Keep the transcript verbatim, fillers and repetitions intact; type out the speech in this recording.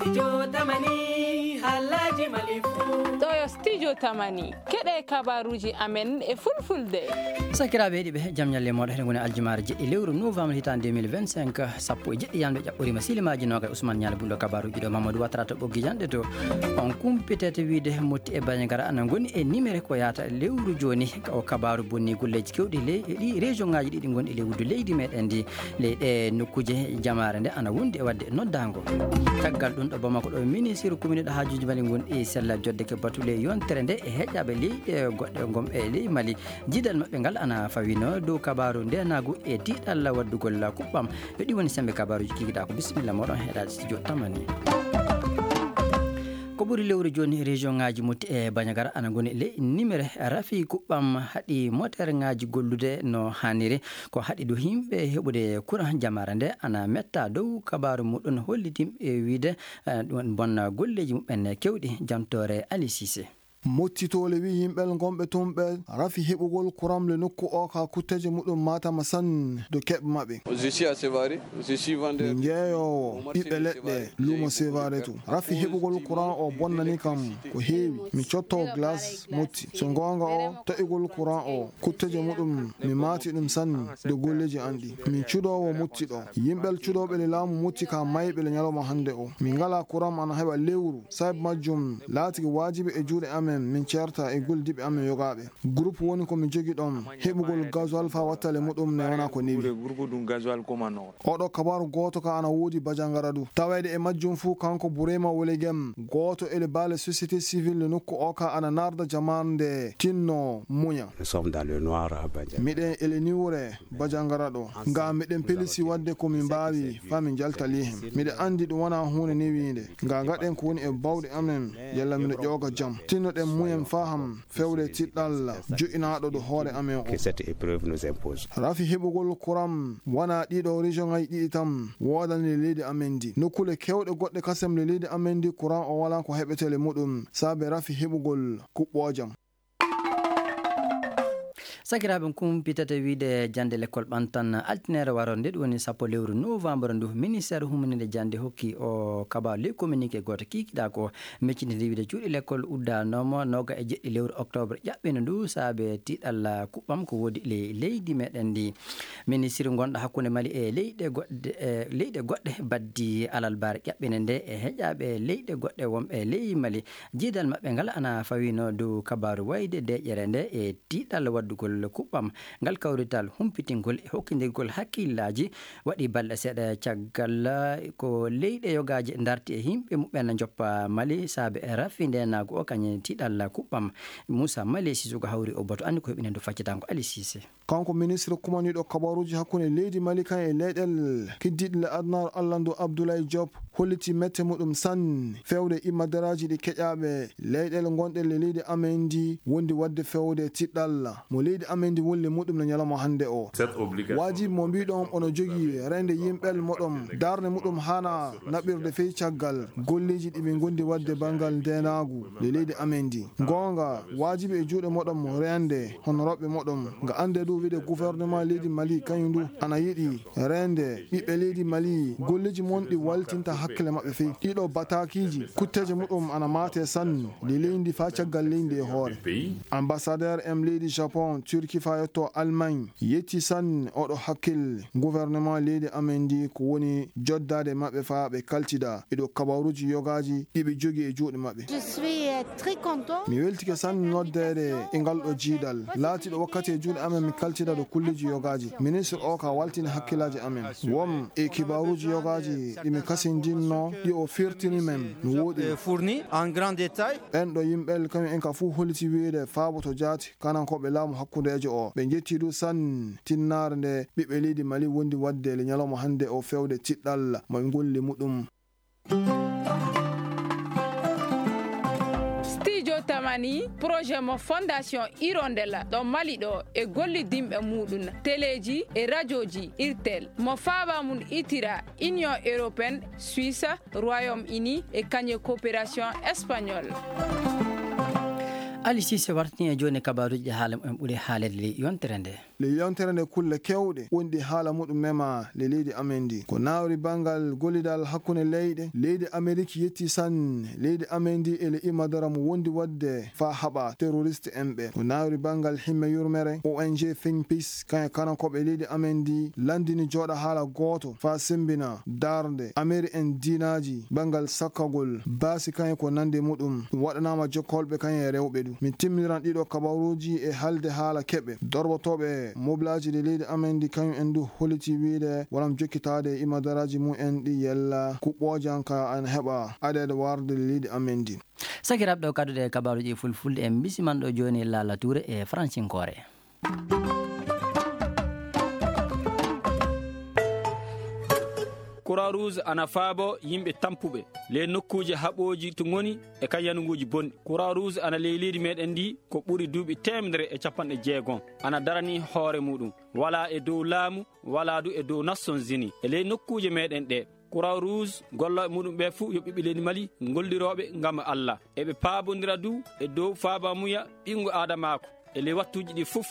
Studio Tamani, haalaaji Mali fuu. Ɗo yo Studio Tamani. Keɗe kabaruuji amen e fulfulde. Sakiraaɓe heɗiiɓe, jam ñalle mooɗon. Eɗen ngoni aljumaare jeɗɗi lewru novembre hitaande deux mille vingt-cinq, sappo e jeɗɗi yamde ƴaɓɓoriima silimaaji noogay. Ousmane Ñaali Bullo kabaruuji ɗo, Mamadou Ouattara to ɓoggi janɗe to. On kumpitete wiide Motti e Bandiagara ana ngoni e nimere ko yahata lewru jooni. O kabaaru bonni golleeji keewɗi ley, e ɗi région ŋaaji ɗiɗi ngonɗi ley wuddu leydi meɗen ndi. Ley ɗe nokkuuje jamaare nde ana wondi e waɗde noddaango. Caggal ɗum ɗo Bamako ɗo, ministre kuminiiɗo haajuuji Mali ngon e sella jodde ke batu ley yontere nde e heƴaaɓe leyɗe goɗɗe gom e ley Mali. Jiidal maɓɓe ngal ana fawino dow kabaaru ndeenaagu e tiiɗalla waddugol kuɓɓam. Yo ɗi woni sembe kabaaruuji kikiɗaa ko. Bisimilla mooɗon heɗaade studio Tamani. Ko ɓuri lewru jooni, région ŋaaji Motti e Bandiagara ana ngoni ley nimere rafi kuɓɓam haɗi moteur ŋaaji gollude no haaniri. Ko haɗi du yimɓe heɓude courant jamaare nde ana metta dow kabaaru muɗum hollitim e wiide, eh, ɗum bonna golleeji muɓɓen kewɗi. Jantoore Ali Cissé. Mottitoole wi yimɓel ngonɓe tun ɓe rafi heɓugol kuram le nokku o ka kutteje muɗum matama sanne do keɓe maɓɓe. Je suis à Sévaré, je suis vendeur. Mi jeeyoowo ɓiɓɓe leɗɗe luumo Sévaré tun. Rafi heɓugol kuran o bonnani kam ko heewi. Mi cotto glace Motti. So goonga o, taƴugol kuran o, kutteje muɗum, mi maati ɗum sanne de golleeji an ɗi. Min cuɗoowo Motti ɗo. Yimɓel cuɗooɓe le laamu Motti ka mayɓe le ñalawma hannde o. Min ngalaa kuran ana heɓa lewru. Sababu majjum, laatike waajibi e juuɗe amen, min ceerta e gollidiiɓe amen yogaaɓe. Groupe woni ko mi jogi ɗon, heɓugol gasoil faa wattale muɗum ne wona ko newi. Oɗo kabaru gooto ka ana woodi Bajangara du. Taweede e majjum fuu kanko Burema Wolegem, gooto e le baale société civile nokku o ka ana narda jamaanu nde tinno muña. Nous sommes dans le noir à Bandiagara. Miɗen e le niwre Bajangara ɗo. Nga miɗen pelisi waɗde ko min mbaawi faa min jalta lihen. Miɗen anndi ɗum wona huunde newiinde. Nga ngaɗen ko woni e bawɗe amen, yalla miɗo ƴooga jam. Tinnoɗen muñen faham fewde tiɗɗal jo'inaaɗo ɗo hoore amen o. Que cette épreuve nous impose. Rafi heɓugol kuran wona ɗiɗo région ngaji ɗiɗi tan woodani le leydi amen ndi. Nokkule kewɗe goɗɗe kasem le leydi amen ndi kuran o wala ko heɓetele muɗum saabe rafi heɓugol kuɓɓoojam. Sakiraaɓe, kumpitete wiide jannde lekkol ɓantan altineere waro nde, ɗum woni sappo lewru novembre ndu. Ministeer humininde jannde hokki o kabaaru ley communiqué gooto kiikiɗaa ko meccitinde wiide cuuɗi lekkol uddanooma nooga e jeɗɗi lewru octobre ƴaɓɓino ndu saabe tiiɗalla kuɓɓam ko woodi ley leydi meɗen ndi. Ministiri gonɗo hakkunde Mali e leyɗe goɗɗe, e leyɗe goɗɗe baddi alalbaare ƴaɓɓinde nde e heƴaaɓe leyɗe goɗɗe wonɓe ley Mali. Jiidal maɓɓe ngal ana fawino dow kabaaru wayde deeƴere nde e tiiɗal waddugol kuɓɓam. Ngal kawrital humpitingol e hokkindirgol hakkillaaji waɗi balɗe seeɗa caggal ko leyɗe yogaaji darti e yimɓe muɓɓen njoppa Mali saabe e rafi ndeenaagu o kañum tiiɗal kuɓɓam. Moussa Mali Sissoko hawri o batu anndi ko heɓinendo faccatango Ali Cissé. Kanko ministre kumaniiɗo kabaruuji hakkunde leydi Mali kan e leyɗel kiddiiɗe le adunaaru allandu Abdoulaye Diop holliti mette muɗum sanne fewde immadaraaji ɗi keƴaaɓe leyɗel gonɗe le leydi amen ndi wondi waɗde fewde tiɗɗal mo leydi amen ndi wulli muɗum no ñalawma hannde o. Waajibi mo mbiɗon ono jogii reende yimɓel moɗon darnde muɗum hana naɓirde fey caggal golleeji ɗi min gondi waɗde banngal ndeenaagu le leydi amen ndi. Goonga, waajibi e juuɗe moɗon reende hono rewɓe moɗon. Nga annde du wiide gouvernement leydi Mali kañum du ana yiɗi reende ɓiɓɓe leydi Mali golleeji mon ɗi waltinta hakkille maɓɓe fey. Ɗiɗo bataakiiji kutteeje muɗum ana maate sanne le leydi faa caggal leydi e hoore. Ambassadeur em leydi Japon, Turki faa yetto Allemagne yetti sanne oɗo hakkille gouvernement leydi amen ndi ko woni joddaade maɓɓe faa ɓe kaltida e ɗo kabaruuji yogaaji ɗi ɓe jogii e juuɗe maɓɓe. Je suis, euh, très content. Mi weltike sanne noddeede e ngal ɗo jiidal. Laatiiɗo wakkati e juuɗe amen mi kaltida ɗo kulleeji yogaaji. Ministre o ka waltini hakkillaaji amen. Won e kibaaruuji yogaaji ɗi mi kasindinno ɗi o firtini men no wooɗi. Fourni en grand détail. Ɓen ɗo yimɓe kañum en ka fuu holliti wiide faaboto jaati kanankooɓe laamu hakkundeejo o. Ɓe njetti du sanne tinnaare nde ɓiɓɓe leydi Mali wondi waɗde le ñalawma hannde o fewde tiɗɗal mo e golli muɗum. Studio Tamani, projet mo Fondation Hirondelle ɗo Mali ɗo e gollidinɓe muɗum, teleeji e rajooji Irtel, mo faaba mum itira Union Européenne, Suisse, Royaume-Uni e kañe coopération espagnole. Ali Sise wartini e jooni kabaaruuji ɗi haala mumen ɓuri haaleede ley yontere nde. Ley yontere nde kulle keewɗe woni ɗi haala muɗum mema ley leydi amen ndi. Ko nawri banngal gollidal hakkunde leyɗe, leydi Amerik yetti sanne leydi amen ndi e le imadara mo wondi waɗde faa haɓa terroriste en ɓe. Ko nawri banngal himme yurmere, O N G Think Peace, kañe kanankooɓe leydi amen ndi, lanndini jooɗa haala gooto faa semmbina darnde Ameri en diinaaji banngal sakkagol baasi kañe ko nandi muɗum. Ɗum waɗanaama jokkolɓe kañe e rewɓe ɗu. Min timmiran ɗiɗo kabaruuji e haalde haala keɓe. Dorbotooɓe mobilaaji ɗi leydi amen ndi kañum en du holliti wiyde walam jokkitaade e imadaraaji mum en ɗi yella kuɓɓoojanka ana heɓa aɗeede warde leydi amen ndi. Sakiraaɓe, ɗo kadduɗe e kabaaruuji e fulfulde, en mbisiman ɗo jooni Laala Tuure e fransinkoore. Croix Rouge ana faabo yimɓe tampuɓe ley nokkuuje haɓooji to ngoni e kan yanuguuji bonɗi. Croix Rouge ana ley leydi meɗen ndi ko ɓuri duuɓi teemedere e capanɗe jeegom. Ana darani hoore muɗum. Walaa e dow laamu, walaa du e dow Nations Unies. E ley nokkuuje meɗen ɗe, Croix Rouge gollooɓe muɗum ɓe fuu yo ɓiɓɓe leydi Mali ngollirooɓe ngam Allah. Eɓe paabondira du e dow faabamuya ɓinngu aadamaaku. E ley wattuuji ɗi fof,